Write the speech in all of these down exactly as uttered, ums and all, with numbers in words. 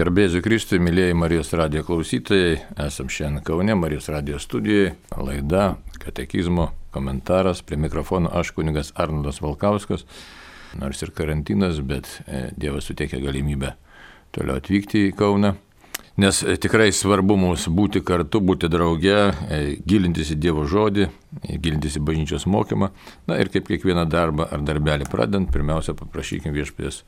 Garbėsiu Kristui, mėlyjeji Marijos radijo klausytojai, esam šiandien Kaune, Marijos radijo studijoje, laida, katekizmo komentaras, prie mikrofono aš kunigas Arnoldas Valkauskas, nors ir karantinas, bet Dievas suteikia galimybę toliau atvykti į Kauną, nes tikrai svarbu mums būti kartu, būti drauge, gilintis į Dievo žodį, gilintis į bažnyčios mokymą, na ir kaip kiekvieną darbą ar darbelį pradant, pirmiausia paprašykim Viešpaties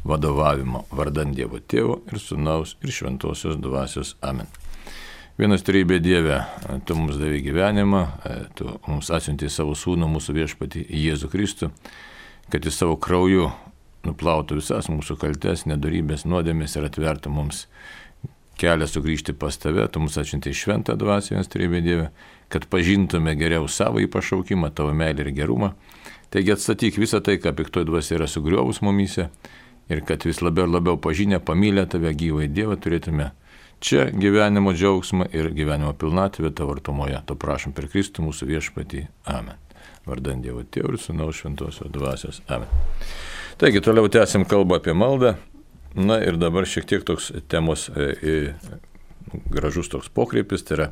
vadovavimo vardan Dievo Tėvo ir Sūnaus ir Šventosios Dvasios. Amen. Vienas trejybė Dieve, Tu mums davei gyvenimą, Tu mums atsiuntei savo Sūnų, mūsų Viešpatį Jėzų Kristų, kad Jis savo krauju nuplautų visas mūsų kaltes, nedorybės, nuodėmės ir atvertų mums kelią sugrįžti pas Tave. Tu mums atsiuntei Šventą Dvasią, vienas trejybė Dieve, kad pažintume geriau savo pašaukimą, Tavo meilę ir gerumą. Taigi atstatyk visą tai, ką piktoji dvasia yra sugriovus mumyse, ir kad vis labiau ir labiau pažinę, pamylę Tave gyvąjį Dievą turėtume čia gyvenimo džiaugsmą ir gyvenimo pilnatvę Tavo artumoje. To prašom per Kristų mūsų Viešpatį. Amen. Vardan Dievo Tėvo ir Sūnaus Šventosios Dvasios. Amen. Taigi, toliau tęsim kalbą apie maldą. Na ir dabar šiek tiek toks temos e, gražus toks pokreipis, tai yra,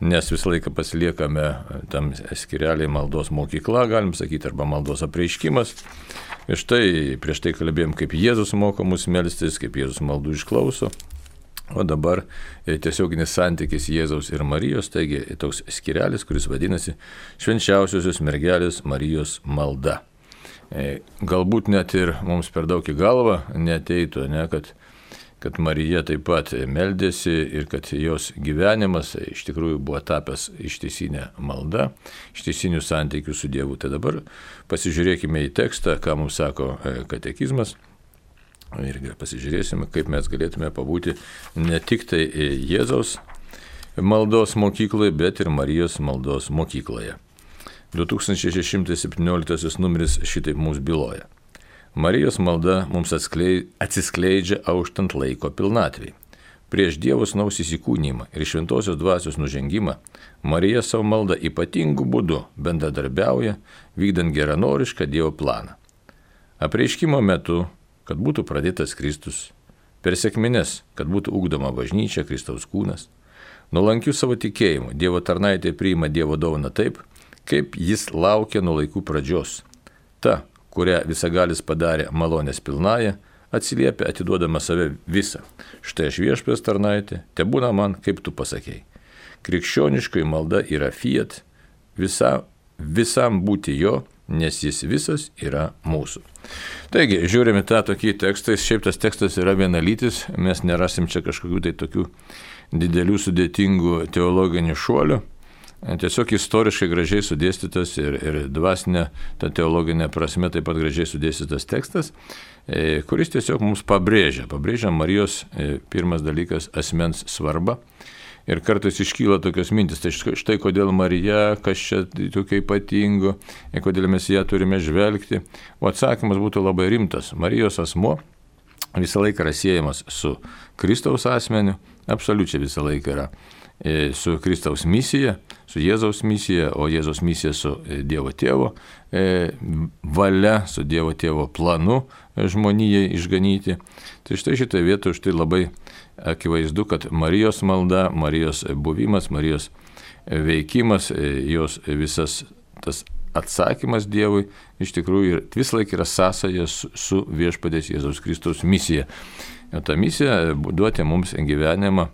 nes visą laiką pasiliekame tam skireliai maldos mokykla, galim sakyti, arba maldos apreiškimas. Ir štai prieš tai kalbėjom, kaip Jėzus moko mus melstis, kaip Jėzus maldų išklauso. O dabar tiesioginis santykis Jėzaus ir Marijos, taigi toks skirelis, kuris vadinasi Švenčiausiosios mergelės Marijos malda. Galbūt net ir mums per daug į galvą neteitų, ne, kad, kad Marija taip pat meldėsi ir kad jos gyvenimas iš tikrųjų buvo tapęs ištisinė malda, ištisinių santykių su Dievu. Tai dabar pasižiūrėkime į tekstą, ką mums sako katekizmas, ir pasižiūrėsime, kaip mes galėtume pabūti ne tik tai Jėzaus maldos mokykloje, bet ir Marijos maldos mokykloje. du tūkstančiai šeši šimtai septynioliktasis numeris šitaip mums byloja. Marijos malda mums atsiskleidžia auštant laiko pilnatvei. Prieš Dievo Sūnaus įsikūnymą ir Šventosios Dvasios nužengimą Marija savo maldą ypatingų būdų bendradarbiauja, vykdant geranorišką Dievo planą. Apreiškimo metu, kad būtų pradėtas Kristus, per sekmines, kad būtų ugdoma bažnyčia, Kristaus kūnas, nuolankiu savo tikėjimu Dievo tarnaitė priima Dievo dovaną taip, kaip Jis laukia nuo laikų pradžios. Ta, kurią visagalis padarė malonės pilnąją, atsiliepia atiduodama save visą. Štai aš Viešpaties tarnaitė, tebūna man, kaip tu pasakėjai. Krikščioniškoji malda yra fiat, visa, visam būti jo, nes jis visas yra mūsų. Taigi, žiūrime tą tokį tekstą, šiaip tas tekstas yra vienalytis, mes nerasim čia kažkokių tai tokių didelių sudėtingų teologinių šuolių. Tiesiog istoriškai gražiai sudėstytas ir, ir dvasinė, ta teologinė prasme taip pat gražiai sudėstytas tekstas, e, kuris tiesiog mums pabrėžia, pabrėžia Marijos e, pirmas dalykas asmens svarbą. Ir kartais iškyla tokios mintis, tai štai kodėl Marija, kas čia tokio ypatingo, ir kodėl mes ją turime žvelgti. O atsakymas būtų labai rimtas. Marijos asmuo visą laiką yra siejamas su Kristaus asmeniu, absoliučiai visą laiką yra su Kristaus misija, su Jėzaus misija, o Jėzaus misija su Dievo Tėvo valia, su Dievo Tėvo planu žmonijai išganyti. Tai štai šitoje vietoje štai labai akivaizdu, kad Marijos malda, Marijos buvimas, Marijos veikimas, jos visas tas atsakymas Dievui iš tikrųjų vis laik yra sąsaja su, su Viešpaties Jėzaus Kristaus misija. O ta misija duoti mums gyvenimą,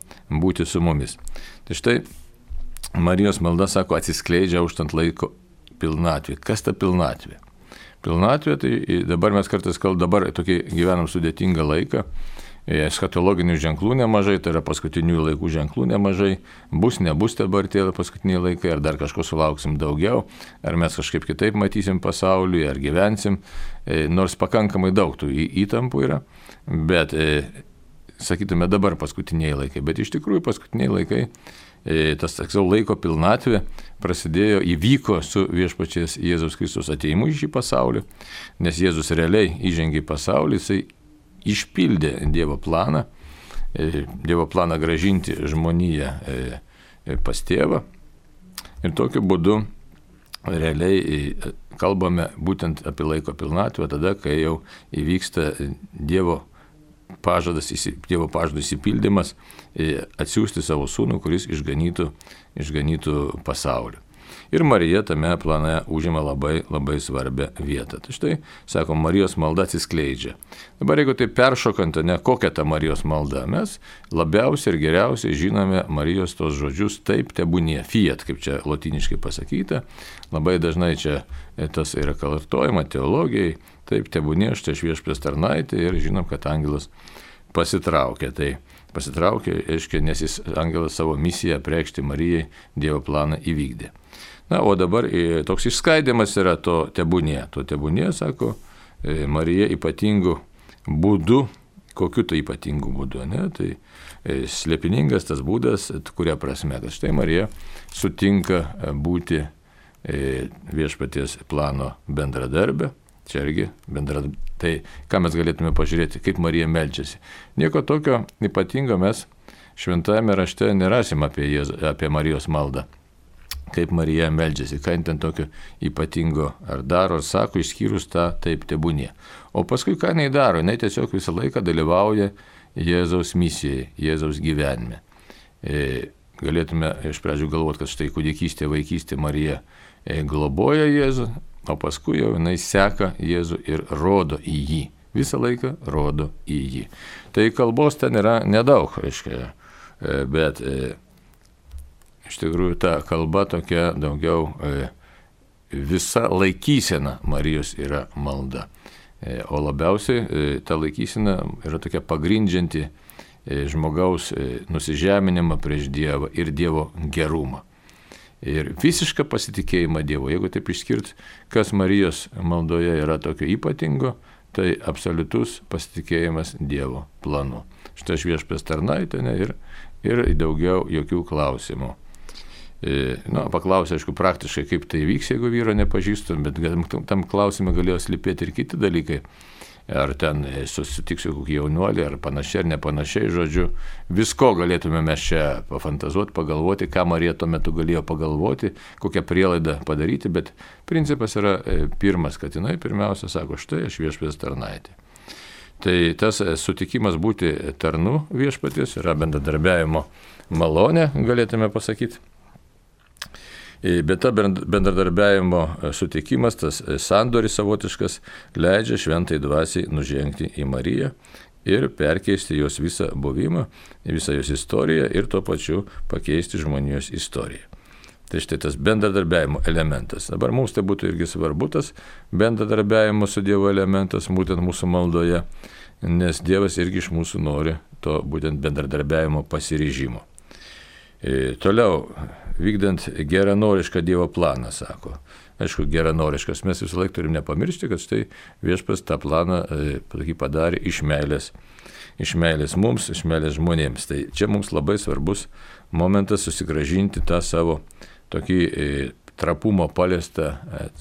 būti su mumis. Tai štai Marijos malda, sako, atsiskleidžia auštant laiko pilnatvė. Kas ta pilnatvė? Pilnatvė, tai dabar mes kartais kalbame, dabar tokį gyvenam sudėtingą laiką, eschatologinių ženklų nemažai, tai yra paskutinių laikų ženklų nemažai, bus, nebus dabar tie paskutiniai laikai, ar dar kažko sulauksim daugiau, ar mes kažkaip kitaip matysim pasaulį, ar gyvensim, nors pakankamai daug tų įtampų yra, bet sakytume dabar paskutiniai laikai, bet iš tikrųjų paskutiniai laikai, tas taksau laiko pilnatvė prasidėjo, įvyko su Viešpaties Jėzaus Kristus atėjimu į šį pasaulį, nes Jėzus realiai įžengė į pasaulį, jisai išpildė Dievo planą, Dievo planą gražinti žmoniją pas Tėvą ir tokiu būdu realiai kalbame būtent apie laiko pilnatvę tada, kai jau įvyksta Dievo pažadas, Dievo pažado įsipildymas atsiųsti savo sūnų, kuris išganytų, išganytų pasaulį. Ir Marija tame plane užima labai, labai svarbią vietą. Tai štai, sako, Marijos malda atsiskleidžia. Dabar jeigu tai peršokant, ne kokia ta Marijos malda, mes labiausiai ir geriausiai žinome Marijos tos žodžius taip tebūnie, fiat, kaip čia lotyniškai pasakyta. Labai dažnai čia tas yra kartojama teologijai, taip tebūnie, štai viešpaties tarnaitė ir žinom, kad angelas pasitraukė. Tai pasitraukė, aiškiai, nes jis angelas savo misiją apreikšti Marijai Dievo planą įvykdė. Na, o dabar toks išskaidimas yra to tebūnie. To tebūnie, sako, Marija ypatingų būdų, kokiu tai ypatingų būdų, ne? Tai slėpiningas tas būdas, kuria prasme, kad štai Marija sutinka būti viešpaties plano bendradarbė. Čia irgi bendradarbė. Tai ką mes galėtume pažiūrėti, kaip Marija meldžiasi. Nieko tokio ypatingo mes šventajame rašte nerasim apie, Jėzų, apie Marijos maldą. Kaip Marija meldžiasi, ką ten tokio ypatingo ar daro, ar sako, išskyrus tą taip tebūnie. O paskui ką jinai daro, jinai tiesiog visą laiką dalyvauja Jėzaus misijai, Jėzaus gyvenime. E, galėtume iš pradžių galvoti, kad štai kūdikystė, vaikystė Marija e, globoja Jėzų, o paskui jau jinai seka Jėzų ir rodo į jį. Visą laiką rodo į jį. Tai kalbos ten yra nedaug, reiškia, e, bet e, iš tikrųjų ta kalba tokia daugiau e, visa laikysena Marijos yra malda. E, o labiausiai e, ta laikysena yra tokia pagrindžianti e, žmogaus e, nusižeminimą prieš Dievą ir Dievo gerumą. Ir visišką pasitikėjimą Dievo. Jeigu taip išskirt, kas Marijos maldoje yra tokio ypatingo, tai absoliutus pasitikėjimas Dievo planu. Štai aš viešpaties tarnaitė ir, ir daugiau jokių klausimų. Na, paklausė, aišku, praktiškai, kaip tai vyks, jeigu vyro nepažįstum, bet tam klausimui galėjo slypėti ir kiti dalykai. Ar ten susitiksiu kokį jaunuolį, ar panašiai, ar nepanašiai, žodžiu. Visko galėtume mes čia pafantazuoti, pagalvoti, ką Marija tuo metu galėjo pagalvoti, kokią prielaidą padaryti, bet principas yra pirmas, kad jinai pirmiausia sako, štai aš viešpaties tarnaitė. Tai tas sutikimas būti tarnu viešpaties yra bendradarbiavimo malonė, galėtume pasakyti. Bet ta bendradarbiavimo sutikimas, tas sandoris savotiškas, leidžia šventai dvasiai nužengti į Mariją ir perkeisti jos visą buvimą, visą jos istoriją ir tuo pačiu pakeisti žmonijos istoriją. Tai štai tas bendradarbiavimo elementas. Dabar mums tai būtų irgi svarbu tas bendradarbiavimo su Dievo elementas, būtent mūsų maldoje, nes Dievas irgi iš mūsų nori to būtent bendradarbiavimo pasiryžimo. E, toliau, vykdant geranorišką Dievo planą, sako. Aišku, geranoriškas, mes visą laiką turim nepamiršti, kad štai viešpas tą planą e, padarė iš meilės, iš meilės mums, iš meilės žmonėms. Tai čia mums labai svarbus momentas susigražinti tą savo tokį e, trapumo paliestą e,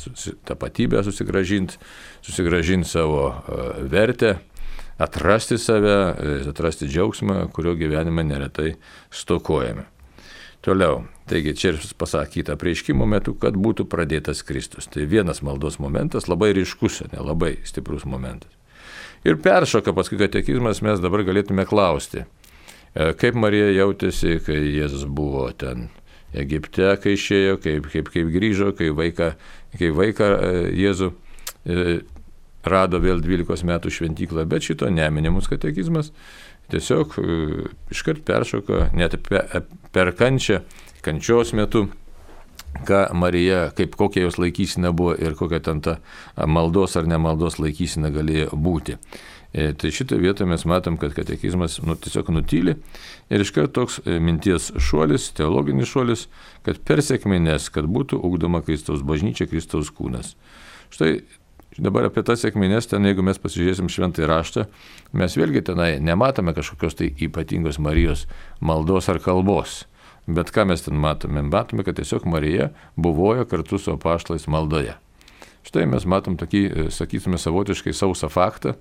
tapatybę, susigražinti, susigražinti savo e, vertę, atrasti save, e, atrasti džiaugsmą, kurio gyvenime neretai stokojame. Toliau, taigi čia ir pasakyta prieškimo metu, kad būtų pradėtas Kristus. Tai vienas maldos momentas, labai ryškus, ne, labai stiprus momentas. Ir peršoka paskui katekizmas, mes dabar galėtume klausti, kaip Marija jautėsi, kai Jėzus buvo ten Egipte, kai išėjo, kaip, kaip, kaip grįžo, kai vaiką, kai vaiką Jėzų rado vėl dvylikos metų šventyklą, bet šito neminimus katekizmas. Tiesiog iškart peršoka, net per kančią, kančios metu, ką Marija, kaip kokia jos laikysena buvo ir kokia ten ta maldos ar nemaldos laikysena galėjo būti. E, tai šitą vietą mes matom, kad katekizmas nu, tiesiog nutyli ir iškart toks minties šuolis, teologinis šuolis, kad per sekmines, kad būtų ugdoma Kristaus bažnyčia, Kristaus kūnas. Štai dabar apie tas sekmines, ten jeigu mes pasižiūrėsim šventąjį raštą, mes vėlgi tenai nematome kažkokios tai ypatingos Marijos maldos ar kalbos. Bet ką mes ten matome? Matome, kad tiesiog Marija buvojo kartu su apaštalais maldoje. Štai mes matom tokį, sakytume, savotiškai sausą faktą.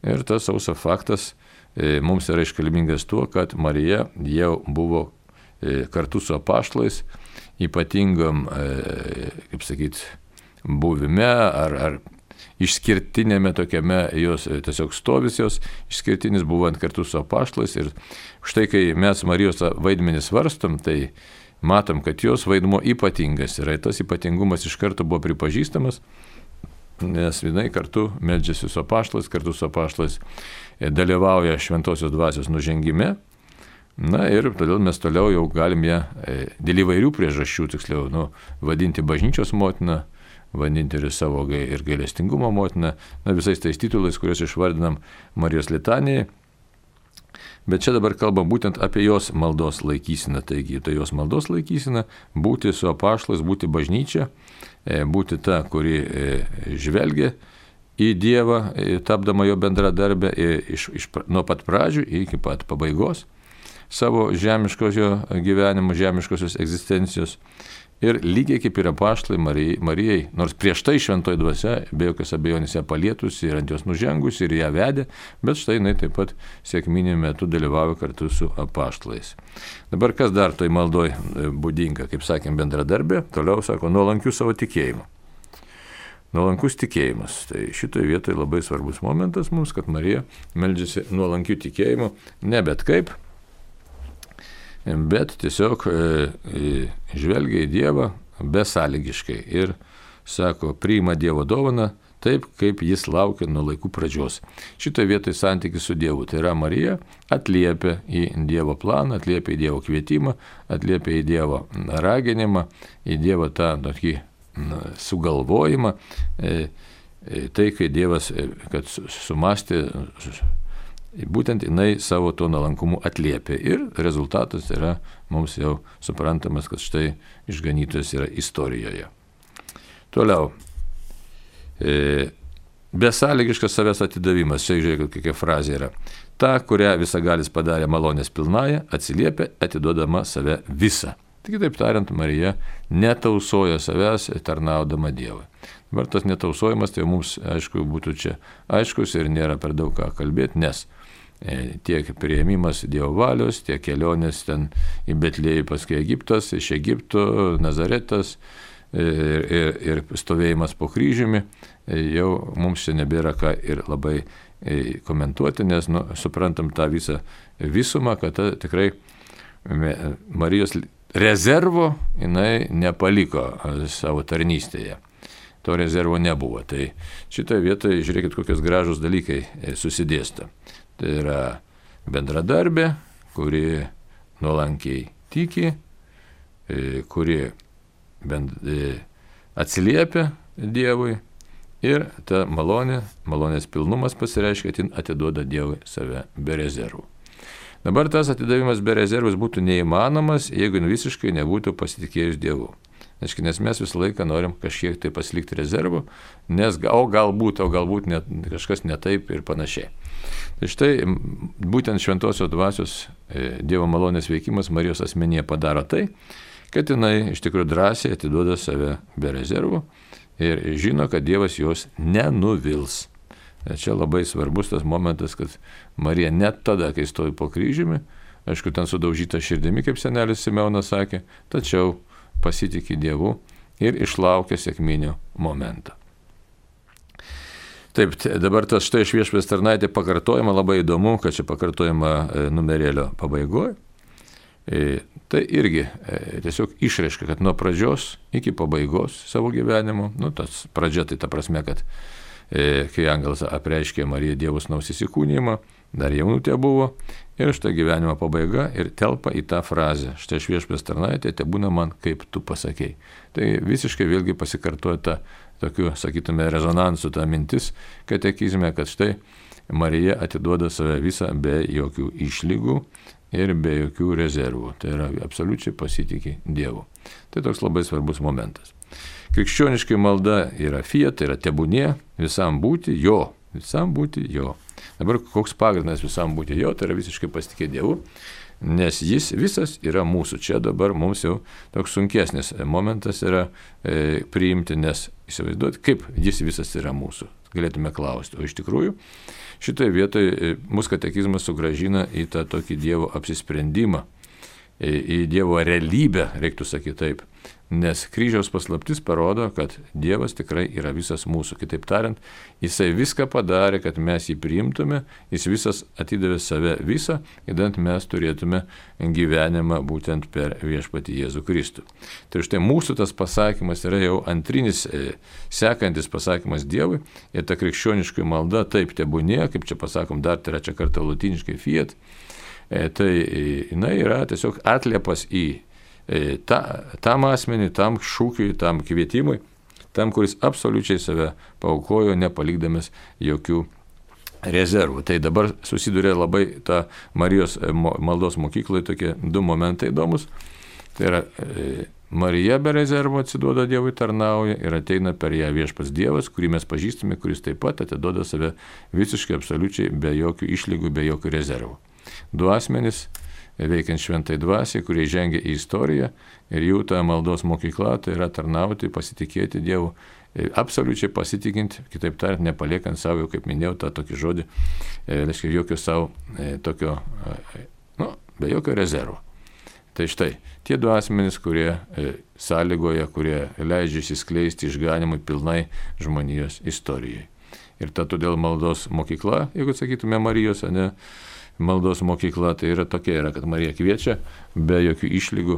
Ir tas sausas faktas e, mums yra iškalbingas tuo, kad Marija jau buvo e, kartu su apaštalais ypatingam, e, kaip sakyti, buvime ar, ar išskirtinėme tokiame jos tiesiog stovis jos išskirtinis buvant kartu su apaštalais. Ir štai kai mes Marijos vaidmenį svarstom, tai matom, kad jos vaidmuo ypatingas yra. Tas ypatingumas iš karto buvo pripažįstamas, nes jinai kartu meldžiasi su apaštalais, kartu su apaštalais dalyvauja šventosios dvasios nužengime. Na ir todėl mes toliau jau galim ją dėl įvairių priežasčių, tiksliau, nu, vadinti bažnyčios motina, vadinti ir savo ir gailestingumo motina, na, visais tais titulais, kuriuos išvardinam Marijos litanijai. Bet čia dabar kalbam būtent apie jos maldos laikyseną. Taigi, tai jos maldos laikysena būti su apaštalais, būti bažnyčia, būti ta, kuri žvelgia į Dievą, tapdama jo bendradarbę iš, iš, nuo pat pradžių iki pat pabaigos savo žemiškosio gyvenimo, žemiškosios egzistencijos. Ir lygiai kaip ir apaštalai Marijai, Marijai, nors prieš tai šventoji dvasia be jokios abejonės ją palietusi ir ant jos nužengusi ir ją vedė, bet štai jinai taip pat sekminių metu dalyvavo kartu su apaštalais. Dabar kas dar toj maldoj būdinga, kaip sakėm, bendradarbė, toliau sako, nuolankiu savo tikėjimu. Nuolankus tikėjimas. Tai šitoje vietoje labai svarbus momentas mums, kad Marija meldžiasi nuolankiu tikėjimu, ne bet kaip, bet tiesiog e, žvelgia į Dievą besąlygiškai ir sako, priima Dievo dovaną taip, kaip jis laukia nuo laikų pradžios. Šitoje vietoje santykis su Dievu. Tai yra Marija atliepia į Dievo planą, atliepia į Dievo kvietimą, atliepia į Dievo raginimą, į Dievo tą tokį na, sugalvojimą. E, e, tai, kai Dievas, e, kad sumastė, būtent jinai savo to nuolankumu atliepia ir rezultatas yra mums jau suprantamas, kad štai išganytojas yra istorijoje. Toliau. E, besąlygiškas savęs atidavimas. Čia žiūrėkit, kokia frazė yra. Ta, kurią visagalis padarė malonės pilnąją, atsiliepia atiduodama save visą. Tik taip tariant, Marija netausoja savęs tarnaudama Dievui. Dabar tas netausojimas, tai mums, aišku, būtų čia aiškus ir nėra per daug ką kalbėti, nes tiek priėmimas Dievo valios, tiek kelionės ten į Betlėjų, paskui Egiptas, iš Egipto, Nazaretas ir, ir, ir stovėjimas po kryžiumi, jau mums čia nebėra ką ir labai komentuoti, nes nu, suprantam tą visą visumą, kad ta, tikrai Marijos rezervo jinai nepaliko savo tarnystėje. To rezervo nebuvo. Tai šitoje vietoje žiūrėkit, kokios gražus dalykai susidėsta. Tai yra bendradarbė, kuri nuolankiai tiki, kuri bend, atsiliepia Dievui ir ta malonė, malonės pilnumas pasireiškia, kad jin atiduoda Dievui save be rezervų. Dabar tas atidavimas be rezervus būtų neįmanomas, jeigu visiškai nebūtų pasitikėjus Dievu. Nes mes visą laiką norim kažkiek tai pasilikti rezervų, nes o galbūt, o galbūt net, kažkas ne taip ir panašiai. Tai štai būtent šventosios dvasios Dievo malonės veikimas Marijos asmenyje padaro tai, kad jinai iš tikrųjų drąsiai atiduoda save be rezervų ir žino, kad Dievas jos nenuvils. Čia labai svarbus tas momentas, kad Marija net tada, kai stovi po kryžiumi, aišku, ten sudaužyta širdimi, kaip senelis Simeonas sakė, tačiau pasitikė Dievu ir išlaukė sekminio momentą. Taip, dabar tas štai iš Viešpaties tarnaitė pakartojama, labai įdomu, kad čia pakartojama numerėlio pabaigoje. Tai irgi tiesiog išreiškia, kad nuo pradžios iki pabaigos savo gyvenimo, nu tas pradžia tai ta prasme, kad kai angelas apreiškė Marijai Dievo sūnaus įsikūnijimą, dar jaunutė buvo, ir štai gyvenimo pabaiga ir telpa į tą frazę, štai iš Viešpaties tarnaitė, te būna man, kaip tu pasakei. Tai visiškai vėlgi pasikartoja ta, tokiu, sakytume, rezonansu ta mintis katekizme, kad štai Marija atiduoda save visą be jokių išlygų ir be jokių rezervų. Tai yra absoliučiai pasitikė Dievu. Tai toks labai svarbus momentas. Krikščioniškai malda yra fiat, tai yra tebūnie, visam būti jo, visam būti jo. Dabar koks pagrindas visam būti jo, tai yra visiškai pasitikė Dievu, nes jis visas yra mūsų. Čia dabar mums jau toks sunkesnis momentas yra e, priimti, nes įsivaizduoti, kaip jis visas yra mūsų. Galėtume klausti. O iš tikrųjų, šitoje vietoje e, mūsų katekizmas sugrąžina į tą tokį Dievo apsisprendimą, į Dievo realybę, reiktų sakyti taip. Nes kryžiaus paslaptis parodo, kad Dievas tikrai yra visas mūsų. Kitaip tariant, jisai viską padarė, kad mes jį priimtume, jis visas atidavė save visą, įdant mes turėtume gyvenimą būtent per viešpatį Jėzų Kristų. Tai štai mūsų tas pasakymas yra jau antrinis, sekantis pasakymas Dievui, ir ta krikščioniškoji malda taip tebūnie, kaip čia pasakom dar trečią kartą lotyniškai fiat, tai jinai yra tiesiog atliepas į Ta, tam asmeniui, tam šūkiui, tam kvietimui, tam, kuris absoliučiai save paaukojo, nepalikdamas jokių rezervų. Tai dabar susiduria labai ta Marijos maldos mokykloje tokie du momentai įdomus. Tai yra e, Marija be rezervų atsiduoda Dievui, tarnauja ir ateina per ją viešpats Dievas, kurį mes pažįstame, kuris taip pat atiduoda save visiškai absoliučiai be jokių išlygų, be jokių rezervų. Du asmenys veikiant šventai dvasiai, kurie žengia į istoriją ir jų ta maldos mokykla, tai yra tarnauti, pasitikėti Dievu, absoliučiai pasitikint, kitaip tariant, nepaliekant savo, kaip minėjau, tą tokį žodį, reiškia, jokio savo tokio, nu, be jokio rezervo. Tai štai, tie du asmenys, kurie sąlygoja, kurie leidžia įsiskleisti išganimui pilnai žmonijos istorijai. Ir ta todėl maldos mokykla, jeigu sakytume Marijos, ne, maldos mokykla, tai yra tokia, yra, kad Marija kviečia be jokių išlygų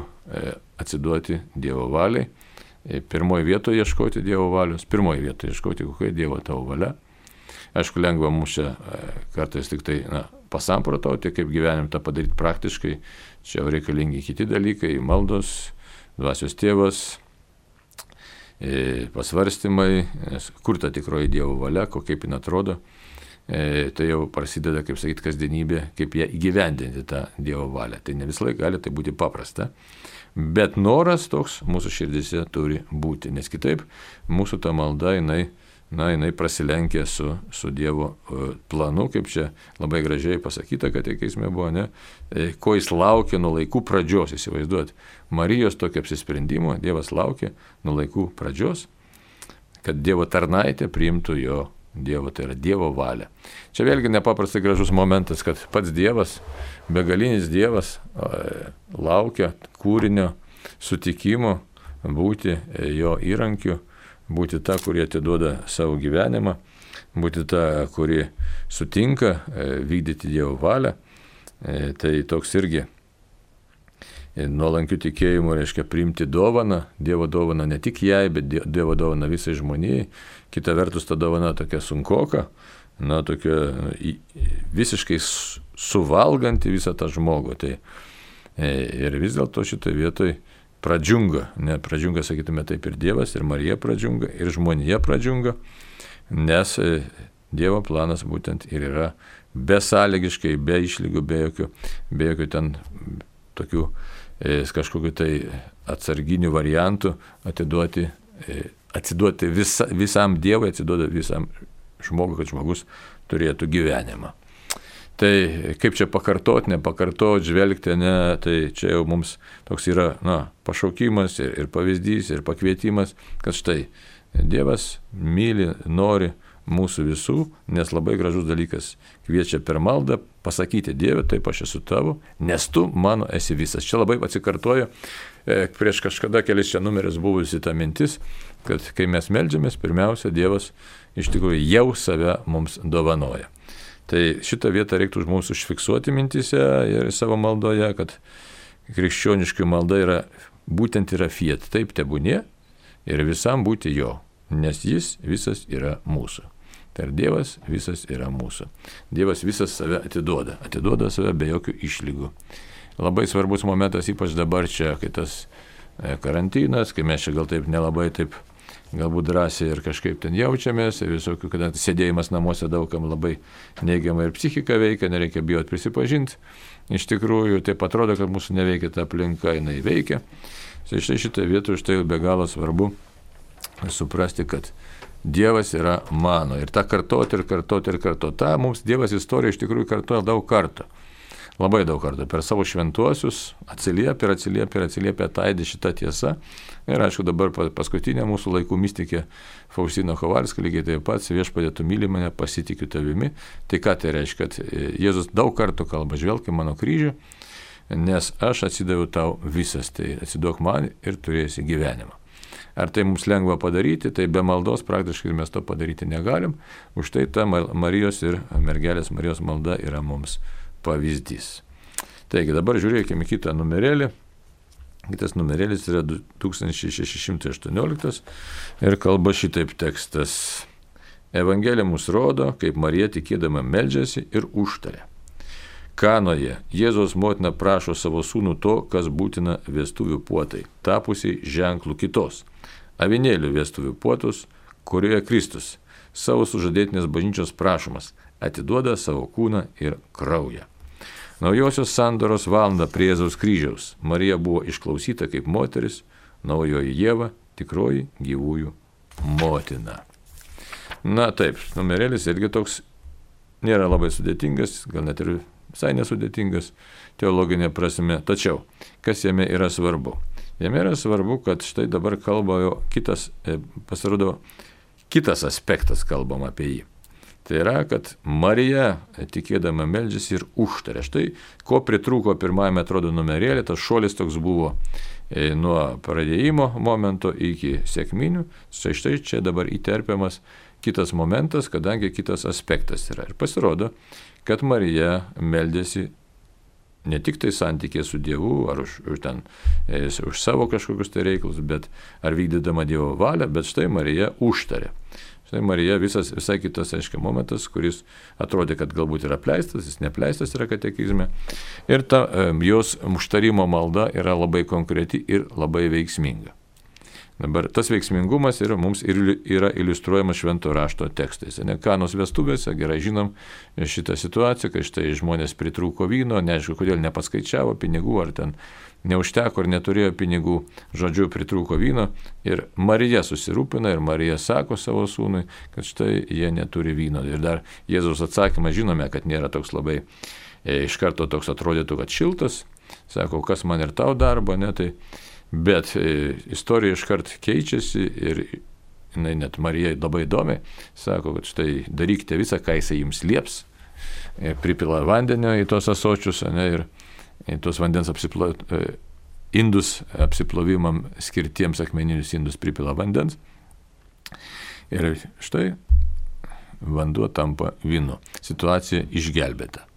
atsiduoti Dievo valiai. Pirmoje vietoje ieškoti Dievo valios, pirmoje vietoje ieškoti, kokia Dievo tavo valia. Aišku, lengva mums čia kartais tik tai na, pasamprotauti, kaip gyvenim tą padaryti praktiškai. Čia reikalingi kiti dalykai, maldos, dvasios tėvas, pasvarstymai, kur ta tikroji Dievo valia, kaip jin atrodo. E, tai jau prasideda, kaip sakyti, kasdienybė, kaip ją įgyvendinti tą Dievo valią. Tai ne visą laiką gali tai būti paprasta, bet noras toks mūsų širdise turi būti, nes kitaip mūsų ta malda, jinai, na, jinai prasilenkia su, su Dievo planu, kaip čia labai gražiai pasakyta, kad teisme buvo, ne, e, ko jis laukia nuo laikų pradžios, įsivaizduoti. Marijos tokio apsisprendimo Dievas laukia nuo laikų pradžios, kad Dievo tarnaitė priimtų jo Dievo, tai yra Dievo valia. Čia vėlgi nepaprastai gražus momentas, kad pats Dievas, begalinis Dievas, laukia kūrinio sutikimo būti jo įrankiu, būti ta, kuri atiduoda savo gyvenimą, būti ta, kuri sutinka vykdyti Dievo valią. Tai toks irgi nuolankių tikėjimų reiškia priimti dovaną, Dievo dovaną ne tik jai, bet Dievo dovaną visai žmonijai. Kita vertus, ta dovana tokia sunkoka, na, tokia visiškai suvalganti visą tą žmogų. Tai, ir vis dėlto šitoje vietoje pradžiunga, ne pradžiunga, sakytume taip, ir Dievas, ir Marija pradžiunga, ir žmonija pradžiunga, nes Dievo planas būtent ir yra besąlygiškai, be išlygų, be jokių, be jokių ten tokių e, kažkokiu tai atsarginių variantų atiduoti, e, atsiduoti visa, visam Dievui, atsiduoti visam žmogui, kad žmogus turėtų gyvenimą. Tai kaip čia pakartot, nepakartot, žvelgti, ne, tai čia jau mums toks yra, na, pašaukimas ir, ir pavyzdys, ir pakvietimas, kad štai Dievas myli, nori mūsų visų, nes labai gražus dalykas kviečia per maldą pasakyti Dieve, taip aš esu tavo, nes tu mano esi visas. Čia labai atsikartoja e, prieš kažkada kelis čia numeris buvusi ta mintis, kad kai mes meldžiamės, pirmiausia, Dievas iš tikrųjų jau save mums dovanoja. Tai šitą vietą reiktų už mūsų užfiksuoti mintise ir savo maldoje, kad krikščioniškai malda yra, būtent yra fiat, taip tebūnie ir visam būti jo, nes jis visas yra mūsų. Tai ir Dievas visas yra mūsų. Dievas visas save atiduoda, atiduoda save be jokių išlygų. Labai svarbus momentas, ypač dabar čia, kai tas karantinas, kai mes čia gal taip nelabai taip galbūt drąsiai ir kažkaip ten jaučiamės, ir visokių, kada sėdėjimas namuose daugam labai neigiamai ir psichika veikia, nereikia bijoti prisipažinti. Iš tikrųjų, taip atrodo, kad mūsų neveikia ta aplinka, jinai veikia. Tai štai šitą vietą už tai be galo svarbu suprasti, kad Dievas yra mano. Ir tą kartoti ir kartoti ir kartoti. Ta mums Dievas istorija iš tikrųjų kartoja daug kartų. Labai daug kartų. Per savo šventuosius atsiliepia ir atsiliepia ir atsiliepia taidė šitą tiesą. Ir aišku, dabar paskutinė mūsų laikų mistikė Faustina Kovalska lygiai taip pat, viešpatie tu myli mane, pasitikiu tavimi. Tai ką tai reiškia? Kad Jėzus daug kartų kalba, žvelk į mano kryžių, nes aš atsidaviau tau visas, tai atsiduok man ir turėsi gyvenimą. Ar tai mums lengva padaryti, tai be maldos praktiškai mes to padaryti negalim, už tai ta Marijos ir mergelės Marijos malda yra mums pavyzdys. Taigi dabar žiūrėkime kitą numerėlį. Kitas numerėlis yra du tūkstančiai šeši šimtai aštuonioliktas ir kalba šitaip tekstas. Evangelija mus rodo, kaip Marija tikėdama meldžiasi ir užtaria. Kanoje Jėzaus motina prašo savo sūnų to, kas būtina vestuvių puotai, tapusiai ženklų kitos, avinėlių vestuvių puotus, kurioje Kristus, savo sužadėtinės bažnyčios prašomas, atiduoda savo kūną ir kraują. Naujosios sandoros valandą prie Jėzaus kryžiaus Marija buvo išklausyta kaip moteris, naujoji Ieva, tikroji gyvųjų motina. Na taip, numerėlis irgi toks nėra labai sudėtingas, gal net ir visai nesudėtingas teologinė prasme. Tačiau, kas jame yra svarbu? Jame yra svarbu, kad štai dabar kalba jo kitas, pasirodo, kitas aspektas kalbam apie jį. Tai yra, kad Marija tikėdama meldžiasi ir užtaria. Štai, ko pritrūko pirmajame atrodo numerėlį, tas šuolis toks buvo e, nuo pradėjimo momento iki sekminių. Štai štai čia dabar įterpiamas kitas momentas, kadangi kitas aspektas yra. Ir pasirodo, kad Marija meldėsi ne tik tai santykė su Dievu, ar už, už, ten, e, už savo kažkokius tai reikalus, bet ar vykdydama Dievo valią, bet štai Marija užtarė. Štai Marija visas, visai kitas, aiškia, momentas, kuris atrodė, kad galbūt yra apleistas, jis neapleistas yra katekizme. Ir ta e, jos užtarimo malda yra labai konkreti ir labai veiksminga. Dabar tas veiksmingumas yra, mums ir, yra iliustruojamas švento rašto tekstais. Ne Kanos vestuvėse gerai žinom šitą situaciją, kai štai žmonės pritrūko vyno, neaišku, kodėl nepaskaičiavo pinigų, ar ten neužteko ar neturėjo pinigų, žodžiu, pritrūko vyno. Ir Marija susirūpina ir Marija sako savo sūnui, kad štai jie neturi vyno. Ir dar Jėzaus atsakymą žinome, kad nėra toks labai, e, iš karto toks atrodytų, kad šiltas. Sako, kas man ir tau darbo, ne tai. Bet e, istorija iškart keičiasi ir jinai net Marija labai įdomi, sako, kad štai darykite visą, ką jisai jums lieps, e, pripila vandenio į tos asočius, ne, ir į tos vandens apsiplo, e, indus apsiplovimam skirtiems akmeninius indus pripila vandens. Ir štai vanduo tampa vynu. Situacija išgelbėta.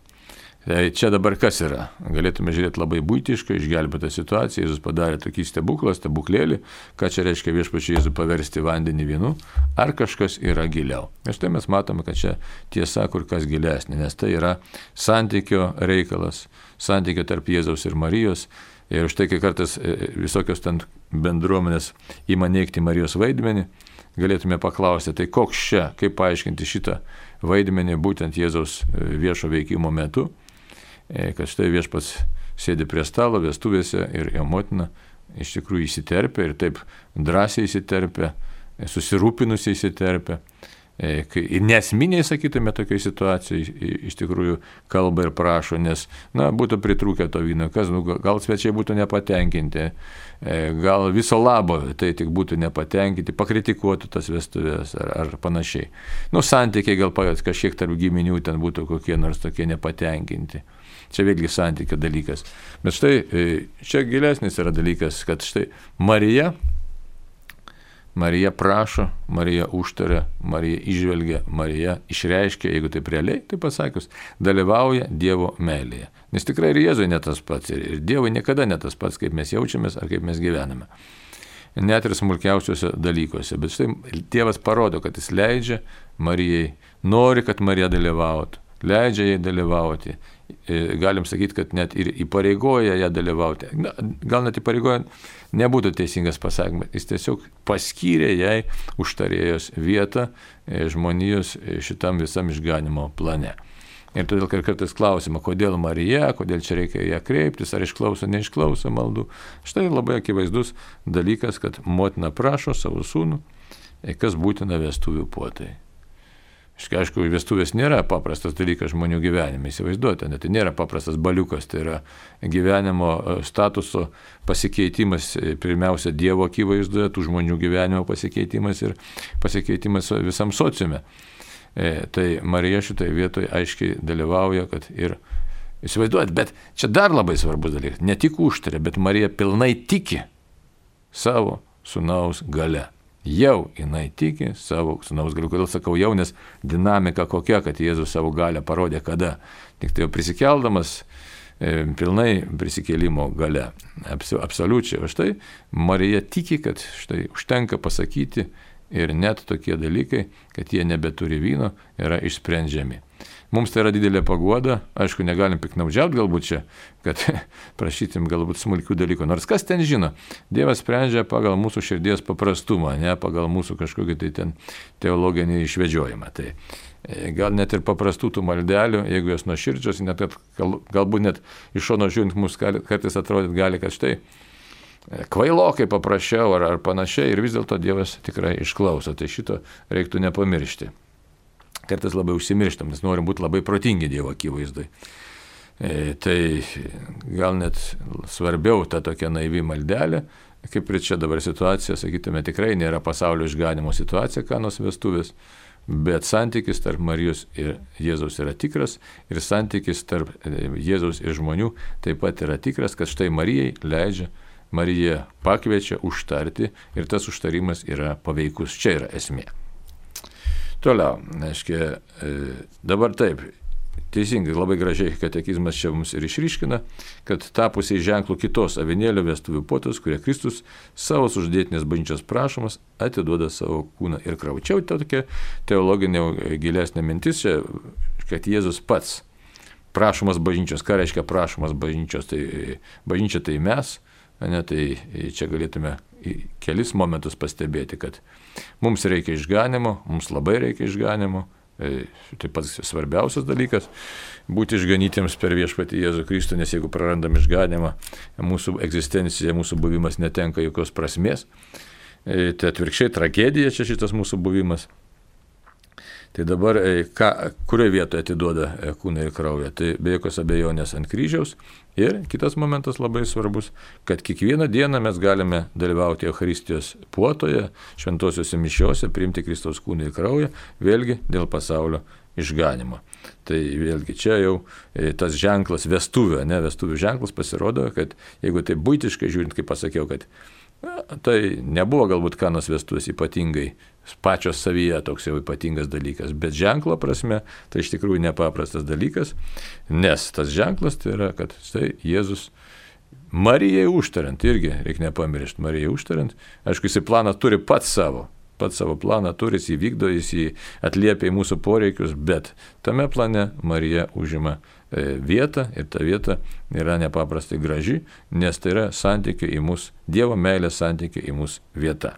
Tai čia dabar kas yra? Galėtume žiūrėti labai būtiškai, išgelbėtą situaciją. Jėzus padarė tokį stebuklą, stebuklėlį, ką čia reiškia viešpačiui Jėzų paversti vandenį vynu, ar kažkas yra giliau. Ir štai mes matome, kad čia tiesa kur kas gilesnė, nes tai yra santykio reikalas, santykio tarp Jėzaus ir Marijos. Ir štai kai kartais visokios ten bendruomenės ima neigti Marijos vaidmenį, galėtume paklausti, tai koks čia, kaip paaiškinti šitą vaidmenį būtent Jėzaus viešo veikimo metu, kad štai viešpats sėdi prie stalo vestuvėse ir jo motina iš tikrųjų įsiterpia ir taip drąsiai įsiterpia, susirūpinusiai įsiterpia. Ir nesminiai, sakytume, tokiai situacijai iš tikrųjų kalba ir prašo, nes, na, būtų pritrūkę to vyno, kas, nu, gal svečiai būtų nepatenkinti, gal viso labo tai tik būtų nepatenkinti, pakritikuotų tas vestuvės ar, ar panašiai. Nu, santykiai gal kažkiek tarp giminių ten būtų kokie nors tokie nepatenkinti. Čia vėlgi santykio dalykas. Bet štai, čia gilesnis yra dalykas, kad štai Marija, Marija prašo, Marija užtaria, Marija išvelgia, Marija išreiškia, jeigu taip realiai, tai pasakius, dalyvauja Dievo meilėje. Nes tikrai ir Jėzui ne tas pats, ir Dievui niekada ne tas pats, kaip mes jaučiamės ar kaip mes gyvename. Net ir smulkiausiuose dalykuose. Bet štai Dievas parodo, kad jis leidžia Marijai, nori, kad Marija dalyvautų, leidžia jai dalyvauti. Galim sakyti, kad net ir įpareigoja ją dalyvauti. Na, gal net įpareigoja nebūtų teisingas pasakymas. Jis tiesiog paskyrė jai užtarėjos vietą žmonijos šitam visam išganimo plane. Ir todėl kartais klausima, kodėl Marija, kodėl čia reikia ją kreiptis, ar išklauso, neišklauso maldų. Štai labai akivaizdus dalykas, kad motina prašo savo sūnų, kas būtina vestuvių puotai. Aišku, vestuvės nėra paprastas dalykas žmonių gyvenime, įsivaizduoti, tai nėra paprastas baliukas, tai yra gyvenimo statuso pasikeitimas, pirmiausia Dievo akivaizdoje, tų žmonių gyvenimo pasikeitimas ir pasikeitimas visam sociume. E, tai Marija šitoje vietoje aiškiai dalyvauja, kad ir Įsivaizduojat, bet čia dar labai svarbus dalykas. Ne tik užtarė, bet Marija pilnai tiki savo sūnaus gale. Jau jinai tiki savo sūnaus galiu. Kodėl sakau jau, nes dinamika kokia, kad Jėzus savo galę parodė kada. Tik tai jau prisikeldamas e, pilnai prisikėlimo gale. Abs, absoliučiai. O štai Marija tiki, kad štai užtenka pasakyti ir net tokie dalykai, kad jie nebeturi vyno, yra išsprendžiami. Mums tai yra didelė paguoda, aišku, negalim piknaudžiauti galbūt čia, kad prašytim galbūt smulkių dalykų. Nors kas ten žino, Dievas sprendžia pagal mūsų širdies paprastumą, ne pagal mūsų kažkokį tai ten teologinį išvedžiojimą. Tai gal net ir paprastų tų maldelių, jeigu jos nuoširdžios, net gal, galbūt net iš šono žiūrint mums kartais atrodyt gali, kad štai kvailokai paprašiau ar, ar panašiai ir vis dėlto Dievas tikrai išklauso. Tai šito reiktų nepamiršti. Kartais labai užsimirštam, nes norim būti labai protingi Dievo akivaizdai. E, tai gal net svarbiau ta tokia naivi maldelė, kaip ir čia dabar situacija, sakytume, tikrai nėra pasaulio išganimo situacija, Kanos vestuvės, bet santykis tarp Marijos ir Jėzaus yra tikras ir santykis tarp Jėzaus ir žmonių taip pat yra tikras, kad štai Marijai leidžia, Marija pakviečia užtarti ir tas užtarimas yra paveikus. Čia yra esmė. Toliau, aiškiai, dabar taip, teisingai, labai gražiai katekizmas čia mums ir išryškina, kad tapusiai ženklų kitos avinėlio vestuvių puotos, kurie Kristus savo sužadėtinės bažnyčios prašomas atiduoda savo kūną ir kraują. Čia tokia teologinė gilesnė mintis, čia, kad Jėzus pats prašomas bažnyčios. Ką reiškia prašomas bažnyčios? Tai bažnyčia tai mes, ne, tai čia galėtume kelis momentus pastebėti, kad mums reikia išganimo, mums labai reikia išganimo, tai pats svarbiausias dalykas - būti išganytiems per viešpatį Jėzų Kristų, nes jeigu prarandam išganimą, mūsų egzistencija, mūsų buvimas netenka jokios prasmės. Tai atvirkščiai tragedija čia šitas mūsų buvimas. Tai dabar, ką, kurioje vietoje atiduoda kūną ir kraują? Tai be jokios abejonės ant kryžiaus. Ir kitas momentas labai svarbus, kad kiekvieną dieną mes galime dalyvauti Eucharistijos puotoje, šventosiuose mišiuose, priimti Kristaus kūną ir kraują, vėlgi dėl pasaulio išganimo. Tai vėlgi čia jau tas ženklas vestuvė, ne vestuvių ženklas pasirodo, kad jeigu tai būtiškai žiūrint, kaip pasakiau, kad na, tai nebuvo galbūt Kanos vestuvės ypatingai pačios savyje toks jau ypatingas dalykas, bet ženklo prasme tai iš tikrųjų nepaprastas dalykas, nes tas ženklas tai yra, kad tai Jėzus Marijai užtariant, irgi reikia nepamiršti, Marijai užtariant, aišku, jis planą turi pats savo, pats savo planą turi, jis įvykdo, jis jį atliepia į mūsų poreikius, bet tame plane Marija užima vietą ir ta vieta yra nepaprastai graži, nes tai yra santykio į mus, Dievo meilės santykio į mus vieta.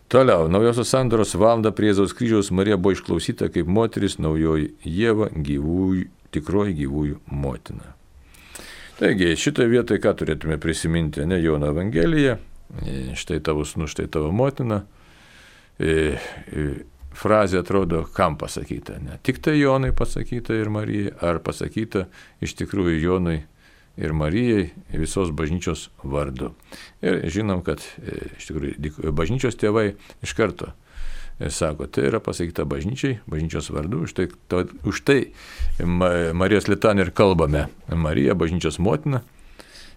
Toliau, naujosios sandoros valandą prie Jėzaus kryžiaus Marija buvo išklausyta kaip moteris, naujoji Ieva, gyvųjų, tikroji gyvųjų motina. Taigi, šitoje vietoje ką turėtume prisiminti, ne Jono Evangelija, štai tavo sūnus, štai tavo motina. E, e, Frazė atrodo, kam pasakyta, ne? Tik tai Jonui pasakyta ir Marijai, ar pasakyta iš tikrųjų Jonui ir Marijai visos bažnyčios vardu. Ir žinom, kad iš tikrųjų bažnyčios tėvai iš karto sako, tai yra pasakyta bažnyčiai, bažnyčios vardu, už tai, to, už tai Marijos litanį ir kalbame. Marija, bažnyčios motina.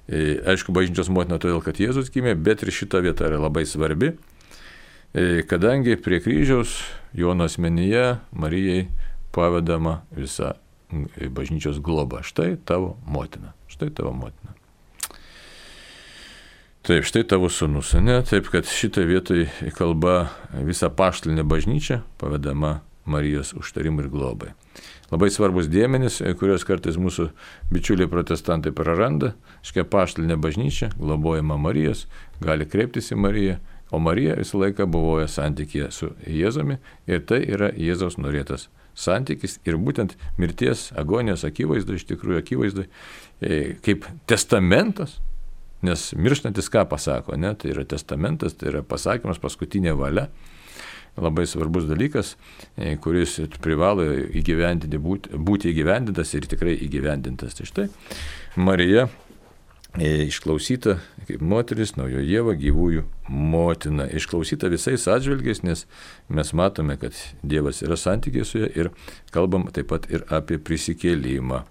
Aišku, bažnyčios motina todėl, kad Jėzus gimė, bet ir šita vieta yra labai svarbi, kadangi prie kryžiaus Jono asmenyje Marijai pavedama visa bažnyčios globa. Štai tavo motina. Štai tavo motina. Taip, štai tavo sūnus, ne? Taip, kad šitą vietoj kalba visa paštalinė bažnyčia pavedama Marijos užtarimui ir globai. Labai svarbus dėmenys, kurios kartais mūsų bičiuliai protestantai praranda. Škia paštalinė bažnyčia, globojama Marijos, gali kreiptis į Mariją, o Marija visą laiką buvoja santykėje su Jėzumi ir tai yra Jėzaus norėtas santykis ir būtent mirties agonijos akivaizdai, iš tikrųjų akivaizdai, kaip testamentas, nes mirštantis ką pasako, ne? Tai yra testamentas, tai yra pasakymas, paskutinė valia, labai svarbus dalykas, kuris privalo įgyvendinti, būti, būti įgyvendintas ir tikrai įgyvendintas. Tai štai Marija išklausyta kaip moteris, naujo Ieva, gyvųjų motina. Išklausyta visais atžvilgiais, nes mes matome, kad Dievas yra santykiai su ja ir kalbam taip pat ir apie prisikėlimą.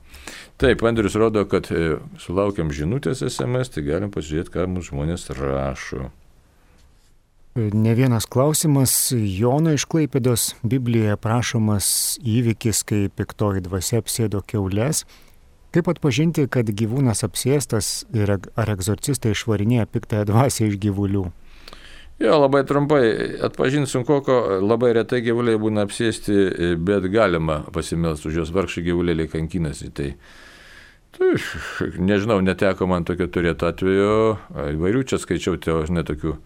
Taip, Andrius rodo, kad sulaukiam žinutės es em es, tai galim pasižiūrėti, ką mums žmonės rašo. Ne vienas klausimas. Jono iš Klaipėdos Biblijoje prašomas įvykis, kai piktoji dvasia apsėdo kiaules. Kaip atpažinti, kad gyvūnas apsėstas ir ar egzorcistai išvarinėja piktąją dvasią iš gyvulių? Jo, labai trumpai, atpažinti sunku, labai retai gyvuliai būna apsėsti, bet galima pasimelsti už juos, vargšai gyvulėliai kankinasi. Tai, tai nežinau, neteko man tokio turėti atveju, įvairių čia skaičiau, tai žinai, tokių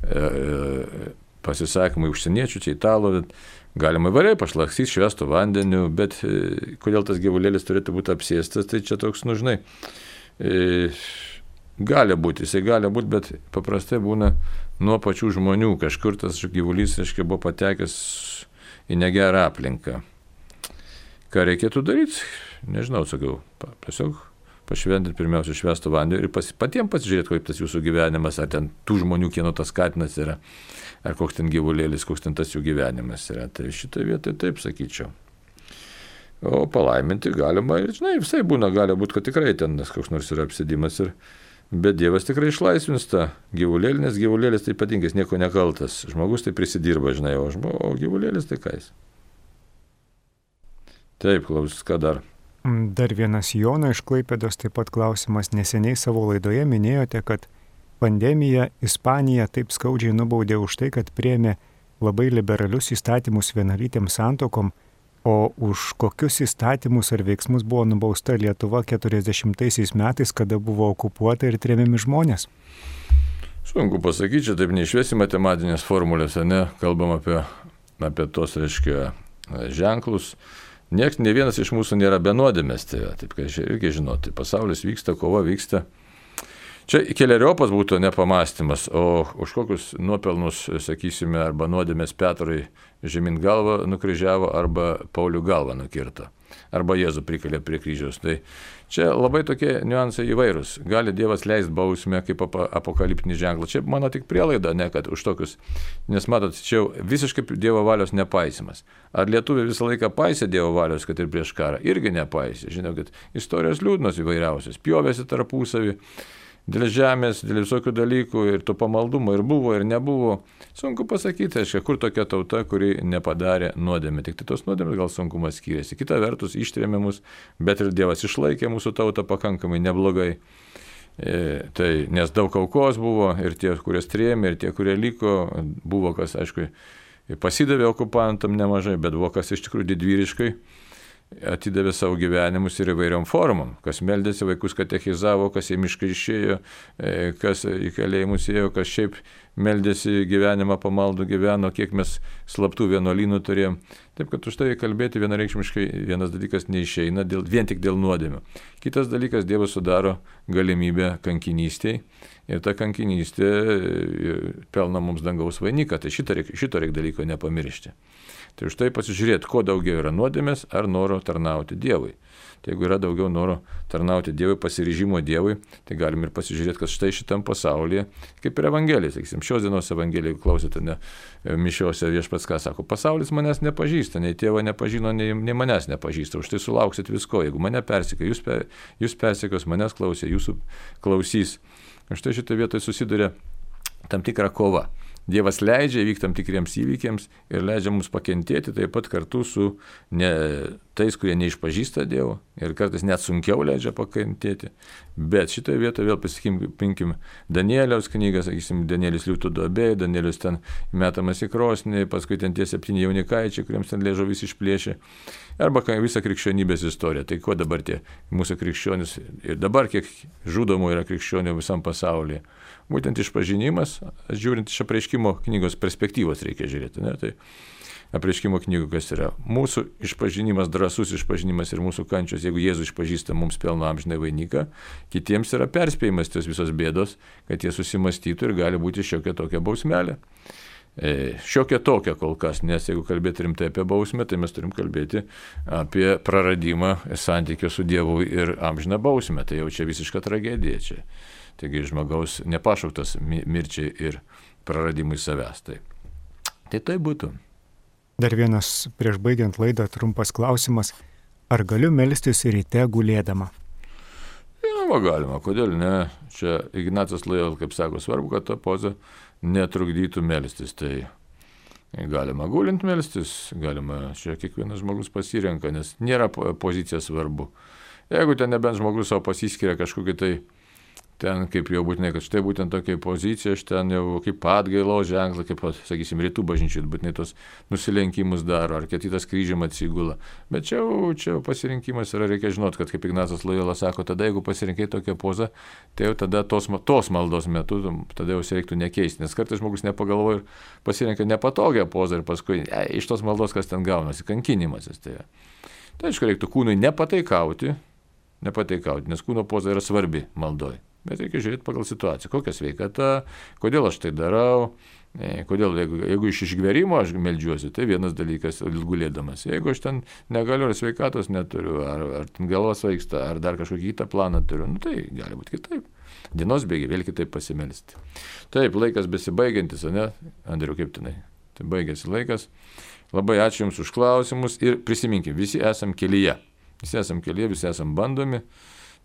e, pasisakymų užsieniečių, čia italų, galima įvairiai pašlaksyti švestų vandeniu, bet e, kodėl tas gyvulėlis turėtų būti apsėstas, tai čia toks, nu žinai, e, gali būti, jisai gali būti, bet paprastai būna nuo pačių žmonių, kažkur tas gyvulys, reiškia, buvo patekęs į negerą aplinką. Ką reikėtų daryti? Nežinau, sakau, tiesiog pašventinti pirmiausia švestų vandeniu ir pas, patiems pasižiūrėti, kaip tas jūsų gyvenimas, ar ten tų žmonių, kieno tas katinas yra, ar koks ten gyvulėlis, koks ten tas jų gyvenimas yra. Tai šitoje vietoje taip sakyčiau. O palaiminti galima ir, žinai, visai būna, gali būti, kad tikrai ten koks nors yra apsėdimas ir bet Dievas tikrai išlaisvins tą gyvulėlį, nes gyvulėlis tai ypatingas, nieko nekaltas. Žmogus tai prisidirba, žinai, o, žmo, o gyvulėlis tai ką jis. Taip, klaus, ką dar? Dar vienas Jono iš Klaipėdos taip pat klausimas. Neseniai savo laidoje minėjote, kad pandemija Ispanija taip skaudžiai nubaudė už tai, kad priėmė labai liberalius įstatymus vienalytėms santuokom, o už kokius įstatymus ar veiksmus buvo nubausta Lietuva keturiasdešimtaisiais metais, kada buvo okupuota ir tremiami žmonės? Sunku pasakyti, čia taip neišvesi matematinės formulės, ne? Kalbam apie, apie tos, reiškia, ženklus. Niekas, ne vienas iš mūsų nėra be nuodėmės, tai taip, kad irgi žinoti, pasaulis vyksta, kova vyksta. Čia keleriopas būtų nepamastymas, o už kokius nuopelnus, sakysime, arba nuodėmės Petrui žemyn galvą nukryžiavo, arba Paulių galvą nukirto, arba Jėzų prikalė prie kryžiaus. Tai čia labai tokie niuansai įvairūs. Gali Dievas leisti bausmę kaip apokaliptinį ženklą. Čia mano tik prielaida, ne kad už tokius, nes matot, čia visiškai Dievo valios nepaisimas. Ar lietuviai visą laiką paisė Dievo valios, kad ir prieš karą? Irgi nepaisė. Žinau, kad istorijos liūdnos įvairiausios, pjovėsi tarpusavį. Dėl žemės, dėl visokių dalykų ir to pamaldumo ir buvo ir nebuvo. Sunku pasakyti, aiškiai, kur tokia tauta, kuri nepadarė nuodėmę. Tik tai tos nuodėmės gal sunkumas skiriasi. Kita vertus, ištrėmė mus, bet ir Dievas išlaikė mūsų tautą pakankamai neblogai. E, tai, nes daug aukos buvo ir tie, kurie strėmė, ir tie, kurie liko, buvo kas, aišku, pasidavė okupantam nemažai, bet buvo kas iš tikrųjų didvyriškai atidavė savo gyvenimus ir įvairiom formom. Kas meldėsi, vaikus katechizavo, kas į mišką išėjo, kas į kalėjimus ėjo, kas šiaip meldėsi gyvenimą, pamaldų gyveno, kiek mes slaptų vienuolynų turėjom. Taip, kad už tai kalbėti vienareikšmiškai vienas dalykas neišeina dėl, vien tik dėl nuodėmių. Kitas dalykas, Dievas sudaro galimybę kankinystėj ir ta kankinystė pelna mums dangaus vainiką. Tai šito reikia, šito reikia dalyko nepamiršti. Tai už tai pasižiūrėti, kuo daugiau yra nuodėmės ar noro tarnauti Dievui. Tai jeigu yra daugiau noro tarnauti Dievui, pasiryžimo Dievui, tai galim ir pasižiūrėti, kad štai šitam pasaulyje, kaip ir Evangelija, sakysim, šios dienos Evangelija, jeigu klausėte, ne, mišiose Viešpats ką sako, pasaulis manęs nepažįsta, nei tėvo nepažino, nei, nei manęs nepažįsta, už tai sulauksit visko, jeigu mane persikė, jūs, per, jūs persikės, manęs klausė, jūsų klausys. Štai šitoje vietoje susiduria tam tikra kova. Dievas leidžia įvykti tam tikriems įvykiams ir leidžia mums pakentėti taip pat kartu su ne, tais, kurie neišpažįsta Dievo ir kartais net sunkiau leidžia pakentėti. Bet šitoje vietoje vėl pasakymkim Danieliaus knygą, sakysim, Danielis liūtų duobėje, Danielius ten metamas į krosnį, paskui ten tie septyni jaunikaičiai, kuriems ten liežuvis išplėšė. Arba visą krikščionybės istoriją. Tai kuo dabar tie mūsų krikščionys ir dabar kiek žudomų yra krikščionių visam pasaulyje. Būtent išpažinimas, žiūrint iš apreiškimo knygos perspektyvos reikia žiūrėti. Ne? Tai apreiškimo knygų kas yra? Mūsų išpažinimas, drąsus išpažinimas ir mūsų kančios, jeigu Jėzus išpažįsta mums pelno amžinai vainiką, kitiems yra perspėjimas tos visos bėdos, kad jie susimastytų ir gali būti šiokia tokia bausmelė. šiokia tokia kol kas, nes jeigu kalbėti rimtai apie bausmę, tai mes turim kalbėti apie praradimą santykio su Dievu ir amžiną bausmę. Tai jau čia visiška tragedija čia. Taigi žmogaus nepašauktas mirčiai ir praradimui savęs. Tai tai, tai būtų. Dar vienas prieš baigiant laidą trumpas klausimas. Ar galiu melstis ryte gulėdama? Žinoma, galima, kodėl ne? Čia Ignacas Lojola, kaip sako, svarbu, kad ta poza netrukdytų melstis. Tai galima gulint melstis, galima, čia kiekvienas žmogus pasirenka, nes nėra pozicija svarbu. Jeigu ten nebent žmogus savo pasiskiria kažkokį tai ten kaip jau būtinai, kad štai būtent tokia pozicija, aš ten jau kaip atgailos ženklą, kaip, sakysim, rytų bažnyčių, būtinai tos nusilenkimus daro, ar kitas kryžium atsigula. Bet čia, čia pasirinkimas yra, reikia žinoti, kad kaip Ignacas Lojola sako, tada jeigu pasirinkai tokią pozą, tai jau tada tos, tos maldos metu, tada jau reiktų nekeisti, nes kartais žmogus nepagalvoja ir pasirinka nepatogią pozą ir paskui e, iš tos maldos kas ten gaunasi, kankinimasis. Tai, tai aišku, reiktų kūnui nepataikauti, nepataikauti, nes kūno poza yra svarbi maldoj. Bet reikia žiūrėti pagal situaciją, kokia sveikata, kodėl aš tai darau, kodėl, jeigu, jeigu iš išgverimo aš meldžiuosi, tai vienas dalykas gulėdamas. Jeigu aš ten negaliu, ar sveikatos neturiu, ar, ar galva svaigsta, ar dar kažkokį kitą planą turiu, nu, tai gali būti kitaip. Dienos bėgiai vėl kitaip pasimelsti. Taip, laikas besibaigiantis, ne? Andriu, kaip tenai? Tai baigėsi laikas. Labai ačiū Jums už klausimus ir prisiminkime, visi esam kelyje. Visi esam kelyje, visi esam bandomi.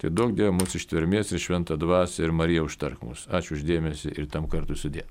Tai daug Dievo mūsų ištvermės ir šventą dvasią ir Marija užtark mus. Ačiū už dėmesį ir tam kartu sudė.